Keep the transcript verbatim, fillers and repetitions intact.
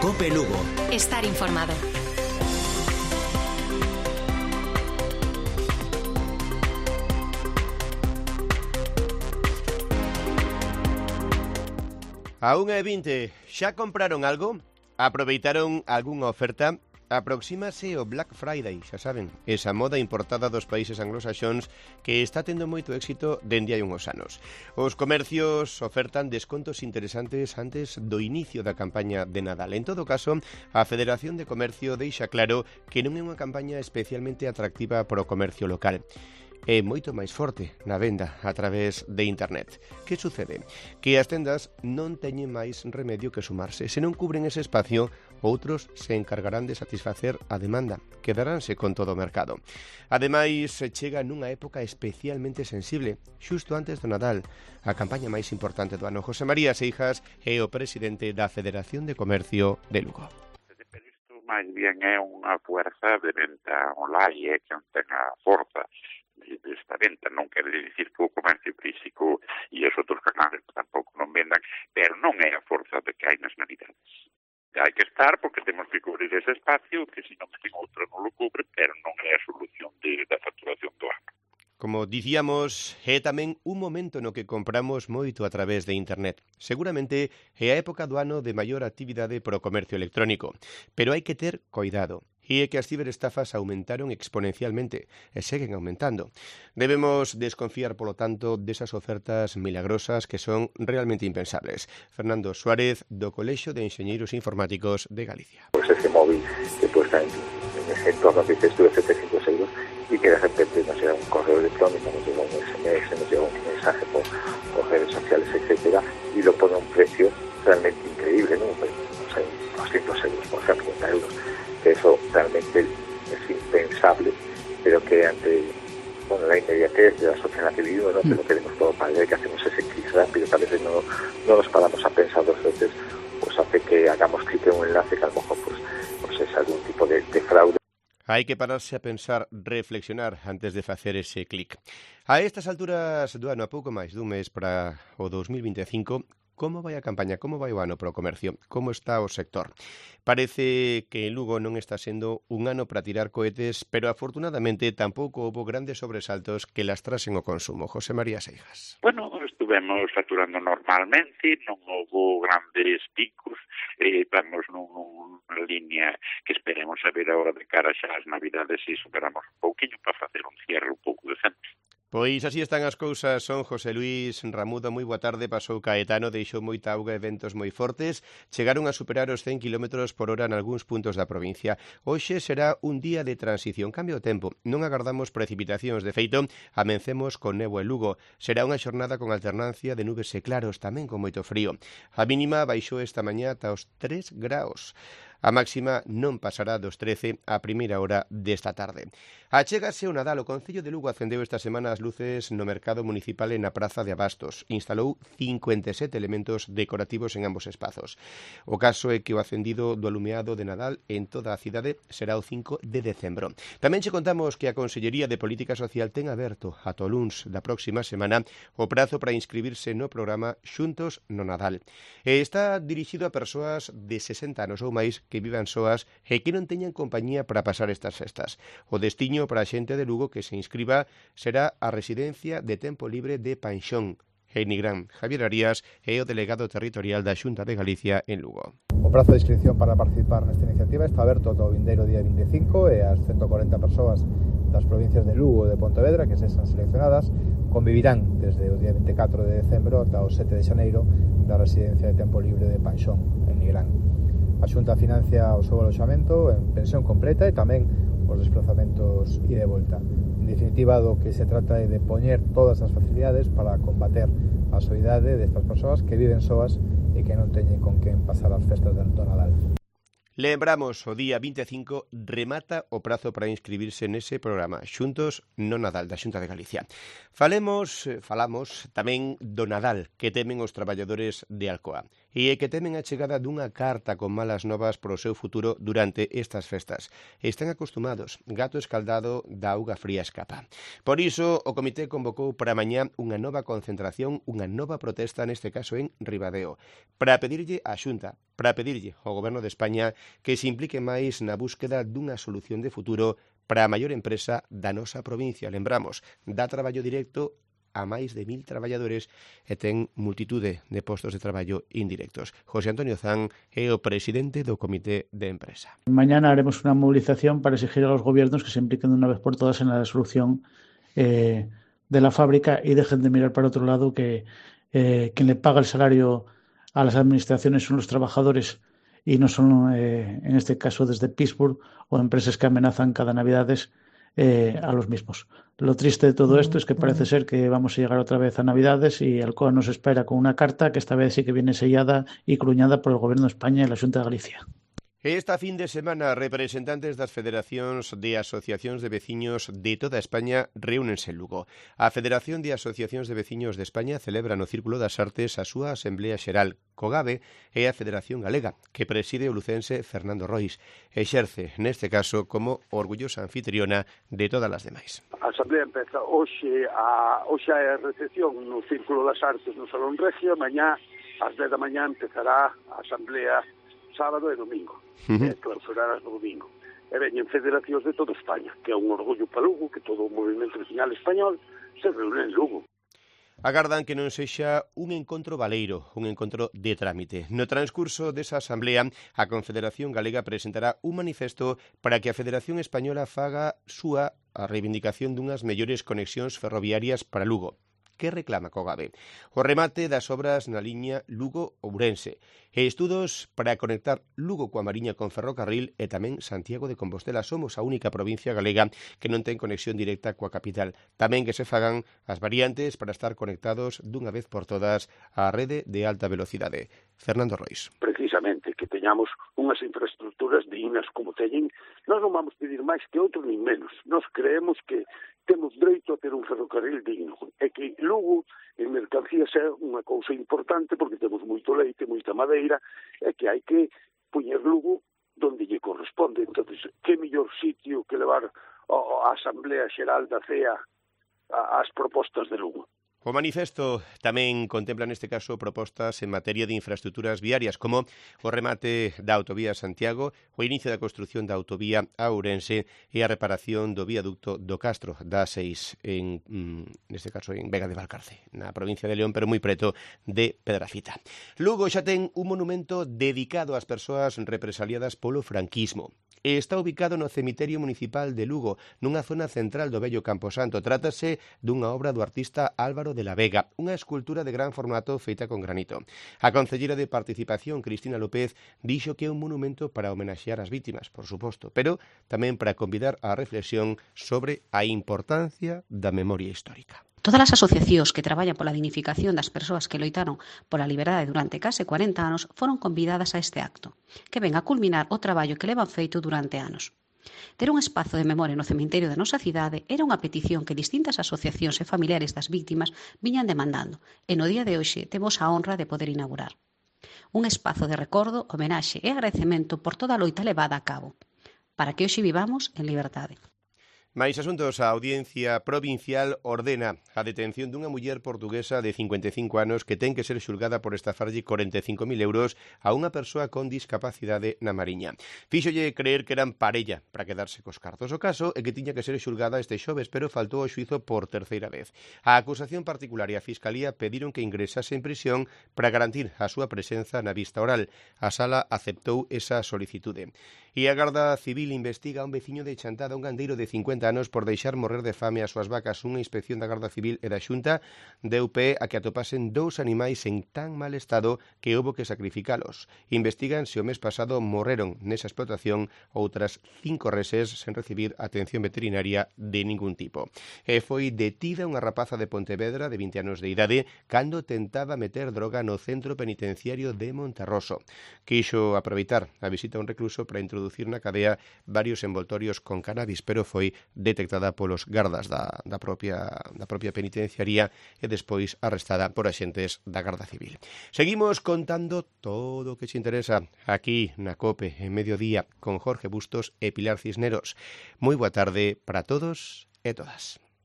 Cope Lugo. Estar informado. A unha e vinte, xa compraron algo? Aproveitaron algunha oferta? Aproxímase o Black Friday, xa saben, esa moda importada dos países anglosaxóns que está tendo moito éxito dende hai unhos anos. Os comercios ofertan descontos interesantes antes do inicio da campaña de Nadal. En todo caso, a Federación de Comercio deixa claro que non é unha campaña especialmente atractiva para o comercio local. É moito máis forte na venda a través de internet. Que sucede? Que as tendas non teñen máis remedio que sumarse. Se non cubren ese espacio, outros se encargarán de satisfacer a demanda. Quedaránse con todo o mercado. Ademais, se chega nunha época especialmente sensible, xusto antes do Nadal, a campaña máis importante do ano. José María Seijas é o presidente da Federación de Comercio de Lugo. Máis bien é unha fuerza de venta online, é que non ten a forza desta venta. Non quere dicir que o comercio físico e os outros canales tampouco non vendan, pero non é a forza de que hai nas navidades. Hai que estar porque temos que cubrir ese espacio, que se non ten outro non lo cubre, pero non é a solución de, da facturación do ano. Como dicíamos, é tamén un momento no que compramos moito a través de internet. Seguramente é a época do ano de maior actividade para o comercio electrónico, pero hai que ter cuidado. E é que as ciberestafas aumentaron exponencialmente e seguen aumentando. Debemos desconfiar, polo tanto, desas ofertas milagrosas que son realmente impensables. Fernando Suárez, do Colexio de Enxeñeiros Informáticos de Galicia. Pues ese móvil que cuesta en, en ese entorno que dices tú de setecientos euros y que de repente nos llega un correo electrónico, nos llega un S M S, nos llega un mensaje por, por redes sociales, etcétera, y lo pone a un precio realmente increíble, ¿no? Pues, no sé, doscientos euros, por ejemplo, cincuenta euros. Eso realmente es impensable, pero que ante bueno, la inmediatez de la sociedad que vivimos, ¿no? Que lo queremos todo para ver que hacemos ese clic rápido, que a veces no, no nos paramos a pensar dos veces, pues hace que hagamos clic en un enlace que a lo mejor pues, pues es algún tipo de, de fraude. Hai que pararse a pensar, reflexionar antes de facer ese clic. A estas alturas do ano, a pouco máis dun mes para o dos mil vinte e cinco, como vai a campaña, como vai o ano para o comercio, como está o sector? Parece que en Lugo non está sendo un ano para tirar cohetes, pero afortunadamente tampouco houve grandes sobresaltos que lastrasen o consumo. José María Seijas. Bueno, estuvemos facturando normalmente, non houve grandes picos, eh, vamos nunha línea que esperemos a ver agora de cara xa as navidades e superamos un pouquinho para facer un cierre un pouco decente. Pois así están as cousas. Son José Luís Ramudo, moi boa tarde. Pasou Caetano, deixou moita auga e ventos moi fortes. Chegaron a superar os cen kilómetros por hora en algúns puntos da provincia. Hoxe será un día de transición, cambio o tempo. Non agardamos precipitacións. De feito, amencemos con néboa e Lugo. Será unha xornada con alternancia de nubes e claros, tamén con moito frío. A mínima baixou esta mañá ata os tres graus. A máxima non pasará dos trece a primeira hora desta tarde. Achégase o Nadal. O Concello de Lugo acendeu esta semana as luces no mercado municipal e na Praza de Abastos. Instalou cincuenta e sete elementos decorativos en ambos espazos. O caso é que o acendido do alumeado de Nadal en toda a cidade será o cinco de decembro. Tamén che contamos que a Consellería de Política Social ten aberto ata o luns da próxima semana o prazo para inscribirse no programa Xuntos no Nadal. E está dirixido a persoas de sesenta anos ou máis que vivan soas e que non teñan compañía para pasar estas festas. O destiño para a xente de Lugo que se inscriba será a residencia de tempo libre de Panxón. En Nigrán, Javier Arías é o delegado territorial da Xunta de Galicia en Lugo. O prazo de inscripción para participar nesta iniciativa está aberto do vindeiro día vinte e cinco e as ciento corenta persoas das provincias de Lugo e de Pontevedra que se están seleccionadas convivirán desde o día vinte e catro de decembro ata o sete de xaneiro da residencia de tempo libre de Panxón, en Nigrán. A Xunta financia o seu aloxamento en pensión completa e tamén os desplazamentos e de volta. En definitiva, do que se trata é de poñer todas as facilidades para combater a soidade destas persoas que viven soas e que non teñen con quen pasar as festas do Nadal. Lembramos, o día vinte e cinco remata o prazo para inscribirse nese programa Xuntos no Nadal da Xunta de Galicia. Falemos, falamos tamén do Nadal que temen os traballadores de Alcoa. e é que temen a chegada dunha carta con malas novas pro seu futuro durante estas festas. Están acostumados, gato escaldado da auga fría escapa. Por iso, o comité convocou para mañá unha nova concentración, unha nova protesta, neste caso en Ribadeo, para pedirlle á Xunta, para pedirlle ao Goberno de España que se implique máis na búsqueda dunha solución de futuro para a maior empresa da nosa provincia. Lembramos, dá traballo directo a máis de mil traballadores e ten multitude de postos de traballo indirectos. José Antonio Zan é o presidente do Comité de Empresa. Mañana haremos una movilización para exigir a los gobiernos que se impliquen de una vez por todas en la solución eh, de la fábrica y dejen de mirar para otro lado, que eh, quien le paga el salario a las administraciones son los trabajadores y no son, eh, en este caso, desde Pittsburgh o empresas que amenazan cada Navidades Eh, a los mismos. Lo triste de todo esto es que parece ser que vamos a llegar otra vez a Navidades y Alcoa nos espera con una carta que esta vez sí que viene sellada y cruñada por el Gobierno de España y la Xunta de Galicia. Esta fin de semana, representantes das federacións de asociacións de veciños de toda España reúnense en Lugo. A Federación de Asociacións de Veciños de España celebra no Círculo das Artes a súa Asamblea Xeral. COGAVE é a Federación Galega, que preside o lucense Fernando Rois. Exerce, neste caso, como orgullosa anfitriona de todas as demais. A Asamblea empeza hoxe, a, hoxe é a recepción no Círculo das Artes no Salón Regio, mañá, ás dez da mañá, empezará a Asamblea sábado e domingo, uh-huh. e clausurarás no domingo. E veñen federacións de toda España, que é un orgullo para Lugo, que todo o movimento vecinal español se reúne en Lugo. Agardan que non sexa un encontro baleiro, un encontro de trámite. No transcurso desa asamblea, a Confederación Galega presentará un manifesto para que a Federación Española faga súa a reivindicación dunhas mellores conexións ferroviarias para Lugo. Que reclama COGAVE? O remate das obras na liña Lugo-Ourense e estudos para conectar Lugo coa Mariña con ferrocarril e tamén Santiago de Compostela. Somos a única provincia galega que non ten conexión directa coa capital. Tamén que se fagan as variantes para estar conectados dunha vez por todas á rede de alta velocidade. Fernando Rois. Precisamente, que teñamos unhas infraestructuras dignas como teñen. Nós non vamos pedir máis que outro nin menos. Nós creemos que temos dereito a ter un ferrocarril digno. É que Lugo, en mercancías, é unha cousa importante porque temos moito leite, moita madeira, é que hai que poñer Lugo donde lle corresponde. Entón, que mellor sitio que levar a Asamblea Xeral da C E A ás propostas de Lugo. O manifesto tamén contempla neste caso propostas en materia de infraestructuras viarias como o remate da autovía Santiago, o inicio da construción da autovía a Ourense e a reparación do viaducto do Castro da seis, en, neste caso en Vega de Valcarce, na provincia de León, pero moi preto de Pedrafita. Lugo xa ten un monumento dedicado ás persoas represaliadas polo franquismo. Está ubicado no cemiterio municipal de Lugo, nunha zona central do vello Camposanto. Trátase dunha obra do artista Álvaro de la Vega, unha escultura de gran formato feita con granito. A concelleira de Participación, Cristina López, dixo que é un monumento para homenaxear as vítimas, por suposto, pero tamén para convidar á reflexión sobre a importancia da memoria histórica. Todas as asociacións que traballan pola dignificación das persoas que loitaron pola liberdade durante case cuarenta anos foron convidadas a este acto, que ven a culminar o traballo que levan feito durante anos. Ter un espazo de memoria no cemiterio da nosa cidade era unha petición que distintas asociacións e familiares das vítimas viñan demandando, e no día de hoxe temos a honra de poder inaugurar. Un espazo de recordo, homenaxe e agradecemento por toda a loita levada a cabo, para que hoxe vivamos en liberdade. Mais asuntos, a Audiencia Provincial ordena a detención dunha muller portuguesa de cincuenta e cinco anos que ten que ser xulgada por estafarlle corenta e cinco mil euros a unha persoa con discapacidade na Mariña. Fíxolle creer que eran parella para quedarse cos cartos. O caso é que tiña que ser xulgada este xoves, pero faltou o xuizo por terceira vez. A acusación particular e a Fiscalía pediron que ingresase en prisión para garantir a súa presenza na vista oral. A sala aceptou esa solicitude. E a Garda Civil investiga a un veciño de Chantada, un gandeiro de cincuenta anos, por deixar morrer de fame as súas vacas. Unha inspección da Garda Civil e da Xunta deu pé a que atopasen dous animais en tan mal estado que houbo que sacrificalos. Investigan se o mes pasado morreron nesa explotación outras cinco reses sen recibir atención veterinaria de ningún tipo. E foi detida unha rapaza de Pontevedra de vinte anos de idade cando tentaba meter droga no centro penitenciario de Monterroso. Quixo aproveitar a visita a un recluso para introducir introducir na cadea varios envoltorios con cannabis, pero foi detectada polos gardas da, da, propia, da propia penitenciaría e despois arrestada por axentes da Garda Civil. Seguimos contando todo o que te interesa aquí na COPE en Mediodía con Jorge Bustos e Pilar Cisneros. Moi boa tarde para todos e todas.